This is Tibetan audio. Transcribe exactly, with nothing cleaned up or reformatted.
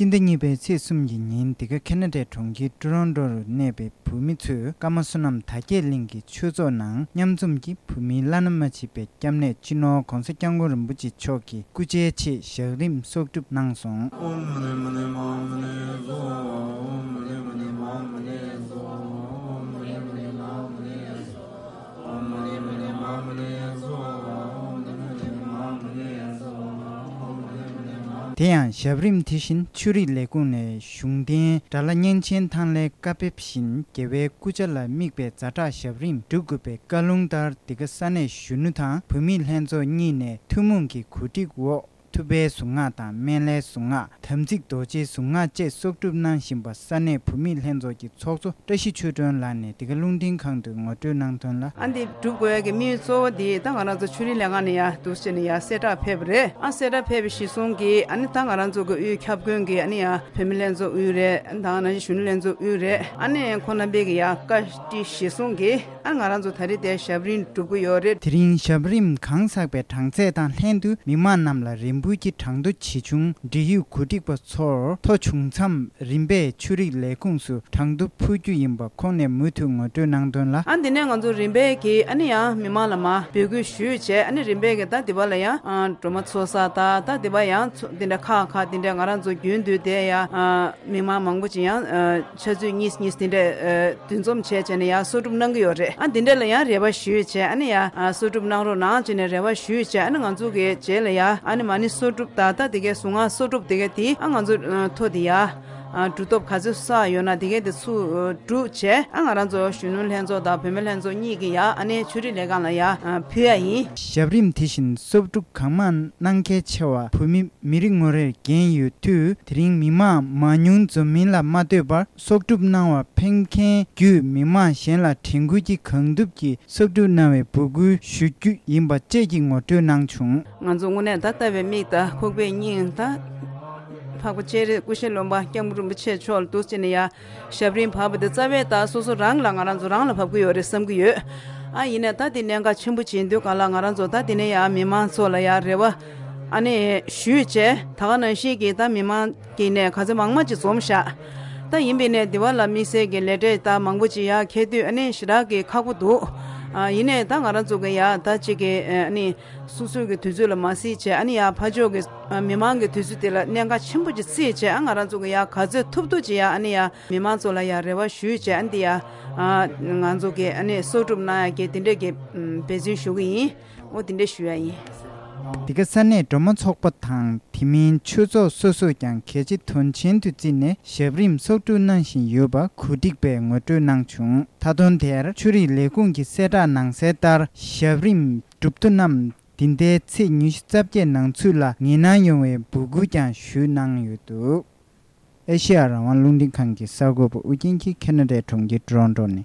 སྤྱི་ཟླ་གཉིས་པའི་ཚེས་གསུམ་གྱི་ཉིན། འདི་ག་ཁེ་ན་ཌའི་གྲོང་ཁྱེར་ཊོ་རོན་ཊོ་རུ་གནས་པའི་བོད་མི་ཚོས་ཀརྨ་བསོད་ནམས་དར་རྒྱས་གླིང་གི་ཆོས་ཚོགས་ནང་མཉམ་འཛོམས་ཀྱིས་བོད་མིའི་བླ་ན་མ་མཆིས་པའི་སྐྱབས་གནས་སྤྱི་ནོར་༧གོང་ས་༧སྐྱབས་མགོན་རིན་པོ་ཆེ་མཆོག་གི་སྐུ་ཕྱྭའི་ཆེད་ཞབས་རིམ་གསོག་སྒྲུབ་གནང་སོང་། དེ་ཡང་ཞབས་རིམ་དེ་བཞིན་ཆོས་རིག་ལས་ཁུངས་ནས་གཞུང་བསྟེན་དགྲ་ལྷ་གཉན་ཆེན་ཐང་ལྷའི་བཀའ་ཕེབས་བཞིན་རྒྱལ་བའི་སྐུ་ཕྱྭ་ལ་དམིགས་པའི་ཛ་དྲག་ཞབས་རིམ་སྒྲུབ་དགོས་པའི་བཀའ་ལུང་ལྟར། འདི་ག་ས་གནས་གཞོན་ནུ་དང་བུད་མེད་ལྷན་ཚོགས་གཉིས་ནས་ཐུན་མོང་གི་གོ་སྒྲིག་འོག་ཐུབ་པའི་གཟུངས་སྔགས་དང་སྨན་བླའི་གཟུངས་སྔགས། དམ་ཚིག་རྡོ་རྗེའི་གཟུངས་སྔགས་བཅས་གསོག་སྒྲུབ་གནང་བཞིན་པ། ས་གནས་བུད་མེད་ལྷན་ཚོགས་ཀྱི་ཚོགས་གཙོ་བཀྲ་ཤིས་ཆོས་སྒྲོན་ལགས་ནས་འདི་ག་རླུང་འཕྲིན་ཁང་དུ་ངོ་སྤྲོད་གནང་དོན་ལ། ཨ་འདི་སྒྲུབ་དགོས་ཡ་གི་དམིགས་ཡུལ་གཙོ་བོ་འདི་ད་ང་རང་ཚོ་ཆོས་རིག་ལས་ཁང་ནས་ཡ་འདུག་སེ་བྱས་ནས་ཡ་གསལ་བསྒྲགས་ཕེབས་པ་རེད། ཨ་གསལ་བསྒྲགས་ཕེབས་པ་གཞིར་བཟུང་གིས་ཨ་ནི་ད་ང་རང་ཚོ་གི་དབུས་ཁྱབ་མགོན་གྱི་ཨ་ནི་ཡ་བུད་མེད་ལྷན་ཚོགས་དབུས་རེད། ད་ང་རང་གཞོན་ནུ་ལྷན་ཚོགས་དབུས་རེད། ཨ་ནི་ཁོང་རྣམ་པས་གི་ཡ་བཀའ་དྲིན་གཞིར་བཟུང་གིས། ཨ་ང་རང་ཚོ་ད་རེས་དེ་ཞབས་རིམ་སྒྲུབ་ཀྱི་ཡོད་རེད། དེ་རིང་ཞབས་རིམ་གང་ཚགས་པའི་གྲངས་ཚད་དང་ལྷན་དུ་མི་མང་རྣམས་ལ་རིམ་འབུལ་གྱི་གྲངས་ཐོ་ཇི་བྱུང་འབྲེལ་ཡོད་གོ་སྒྲིག་པ་ཚོར་ཐོ་བྱུང་མཚམས་རིམ་པས་ཆོས་རིག་ལས་ཁུངས་སུ་གྲངས་ཐོ་ཕུལ་རྒྱུ་ཡིན་པ་ཁོང་ནས་མུ་མཐུད་ངོ་སྤྲོད་གནང་དོན་ལ། ཨ་འདི་ནས་ང་ཚོ་རིམ་པས་ཀྱིས་ཨ་ནི་ཡང་མི་མང་ལ་མ་འབོད་སྐུལ་ཞུས་བྱས། ཨ་ནི་རིམ་པས་ཀྱིས་ད་འདི་པ་ལ་ཡང་ཨ་སྒྲོལ་མ་ཚོགས་ས་ད་ད་འདི་པ་ཡང་ཚོ་འདི་འདྲ་ཁག་ཁག་འདི་འདྲ་ང་རང་ཚོ་རྒྱུན་དུ་དེ་ཡང་ཨ། མི་མང་མང་པོ་ཅིག་ཡང་ཨ་ཆུ་ཚོད་གཉིས་གཉིས་དེ་འདྲ་ཨ་འདུ་འཛོམས་བྱས་བྱས་ནས་ཡང་གསོག་སྒྲུབ་གནང་གི་ཡོད་རེད། ཨ་དེ་འདྲ་ལ་ཡང་རེ་བ་ཞུས་བྱས། ཨ་ནི་ཡང་ཨ་གསོག་སྒྲུབ་གནང་རོགས་གནང་བྱས་ནས་རེ་བ་ཞུས་བྱས། ཨ་ནི་ང་ཚོ་གི་རྗེས་ལ་ཡང་ཨ་ནི་མ་ཎི་གསོག་སྒྲུབ་ད་ལྟ་དེ་གའི་གཟུངས་སྔགས་གསོག་སྒྲུབ་དེ་གའི་དེ་ཨ་ང་ཚོ་ཨ་ཐོ་དེ་ཡང་ཨ་གྲུབ་ཐོབ་ག་ཚོད་བསགས་ཡོད་ན་དེ་གའི་དེ་ཚུར་ཨ་སྒྲུབ་བྱས། ཨ་ང་རང་ཚོ་གཞོན་ནུ་ལྷན་ཚོགས་དང་བུད་མེད་ལྷན་ཚོགས་གཉིས་ཀྱིས་ཡང་ཨ་ནི་ཆོས་རིག་ལས་ཁང་ལ་ཡང་ཨ་ཕུལ་ཡ་ཡིན། ཞབས་རིམ་དེ་བཞིན་གསོག་སྒྲུབ་གང་མང་གནང་གལ་ཆེ་བ་བོད་མི་མི་རེ་ངོ་རེར་འགན་ཡོད་དུས། དེ་རིང་མི་མང་མང་ཉུང་འཛོམས་མིན་ལ་མ་ལྟོས་པར་གསོག་སྒྲུབ་གནང་བར་ཕེབས་མཁན་བརྒྱུད་མི་མང་གཞན་ལ་དྲན་སྐུལ་གྱིས་གང་ཐུབ་ཀྱིས་གསོག་སྒྲུབ་གནང་བའི་འབོད་སྐུལ་ཞུ་རྒྱུ་ཡིན་པ་བཅས་ཀྱི་ངོ་སྤྲོད་གནང་བྱུང་། ང་ཚོ་དངོས་གནས་ད་ལྟ་བའི་མིག་དང་ཁོག་པའི་སྙིང་དང་། འཕགས་པ་སྤྱན་རས་སྐུ་ཞབས་ལུང་པ་སྐྱབས་མགོན་རིན་པོ་ཆེ་མཆོག་ལ་འདུག་སེ་བྱས་ནས་ཡ་ཞབས་རིམ་བབས་པ་དེ་རྩ་བའི་ད་སོ་སོ་རང་ལ་ང་རང་ཚོ་རང་ལ་བབས་ཀྱི་ཡོད་རེད་བསམ་གྱི་ཡོད། ཨ་ཡིན་ནའི་ད་དེ་གནད་འགག་ཆེན་པོ་ཅིག་ཡིན་དུས་ག་ལ་ང་རང་ཚོ་ད་དེ་ནས་ཡ་མི་མང་ཚོ་ལ་ཡ་རེ་བ་ཨ་ནི་ཞུས་བྱས། ད་ག་ནང་བཞིན་གྱི་ད་མི་མང་གི་ནས་ག་ཚོད་མང་མང་ཅིག་འཛོམས་ཤག་ད་ཡིན་པའི་ནས་དེ་བ་ལ་དམིགས་བསལ་གྱི་ལས་འབྲས་ད་མང་པོ་ཅིག་ཡ་འཁེལ་དུས་ཨ་ནི་ཞེ་དྲག་གི་ཁག་པོ་འདུག་ཨ་ཡིན་ནའི་ད་ང་རང་ཚོ་གི་ཡ་ད་ཅིག་གི་ཨ་ནི་སོ་སོའི་གི་དུས་ཚོད་ལ་མ་བརྩིས་བྱས། ཨ་ནི་ཡ་ཕར་ཕྱོགས་གི་ཨ་མི་མང་གི་དུས་ཚོད་དེ་ལ་གནད་འགག་ཆེན་པོ་ཅིག་བརྩིས་བྱས། ཨ་ང་རང་ཚོ་གི་ཡ་ག་ཚོད་ཐུབ་ཐུབ་ཅིག་ཡ་ཨ་ནི་ཡ་མི་མང་ཚོ་ལ་ཡ་རེ་བ་ཞུས་བྱས། ཨ་འདི་ཡ་ཨ་ང་ཚོ་གི་ཨ་ནི་གསོག་སྒྲུབ་གནང་ཡ་གི་དེ་འདྲས་གི་ཨམ་འབད་བརྩོན་ཞུ་གི་ཡིན། འོ་དེ་འདྲས་ཞུ་ཡ་ཡིན། འདི་ག་ས་གནས་སྒྲོལ་མ་ཚོགས་པ་དང་དེ་མིན་ཆོས་ཚོགས་སོ་སོས་ཀྱང་གལ་ཆེ་དོན་ཆེན་དུ་བརྩིས་ནས་ཞབས་རིམ་གསོག་སྒྲུབ་གནང་བཞིན་ཡོད་པ་གོ་སྒྲིག་པས་ངོ་སྤྲོད་གནང་བྱུང་། མཐའ་དོན་དེར་ཆོས་རིག་ལས་ཁུངས་ཀྱི་གསལ་བསྒྲགས་ནང་གསལ་ལྟར། ཞབས་རིམ་སྒྲུབ་མཁན་རྣམས་འདི་ཟླའི་ཚེས་ཉི་ཤུ་རྩ་བརྒྱད་ནང་ཚུད་ལ་ངེས་གནང་ཡོང་བའི་འབོད་སྐུལ་ཀྱང་ཞུས་གནང་ཡོད་འདུག་ཨེ་ཤེ་ཡ་རང་དབང་རླུང་འཕྲིན་ཁང་གི་གསར་འགོད་པ་ཨུ་རྒྱན་གྱིས་ཁེ་ན་ཌའི་གྲོང་ཁྱེར་ཊོ་རོན་ཊོ་ནས།